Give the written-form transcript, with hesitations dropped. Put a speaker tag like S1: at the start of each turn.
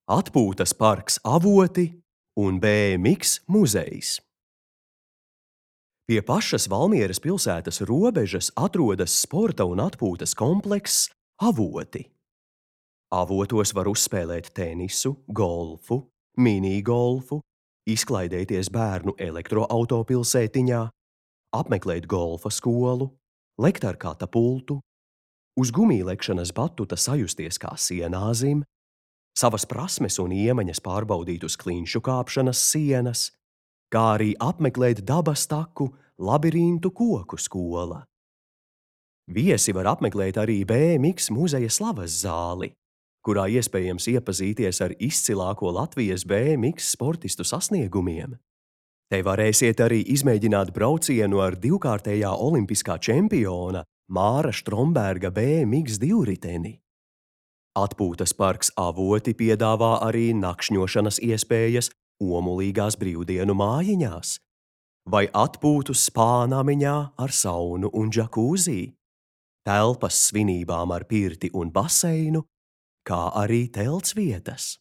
S1: Atpūtas parks Avoti un BMX muzejs. Pie pašas Valmieras pilsētas robežas atrodas sporta un atpūtas komplekss Avoti. Avotos var uzspēlēt tenisu, golfu, minigolfu, izklaidēties bērnu elektroautopilsētiņā, apmeklēt golfa skolu, lekt ar katapultu, uz gumijlekšanas batuta sajusties kā sienāzim, savas prasmes un iemaņas pārbaudīt uz klinšu kāpšanas sienas, kā arī apmeklēt dabas taku Labirintu koku skola. Viesi var apmeklēt arī BMX muzeja slavas zāli, kurā iespējams iepazīties ar izcilāko Latvijas BMX sportistu sasniegumiem. Te varēsiet arī izmēģināt braucienu ar divkārtējā olimpiskā čempiona Māra Štromberga BMX divriteni. Atpūtas parks Avoti piedāvā arī nakšņošanas iespējas Omulīgās brīvdienu mājiņās vai atpūtu spā namiņā ar saunu un džakūzī, telpas svinībām ar pirti un baseinu, kā arī telts vietas.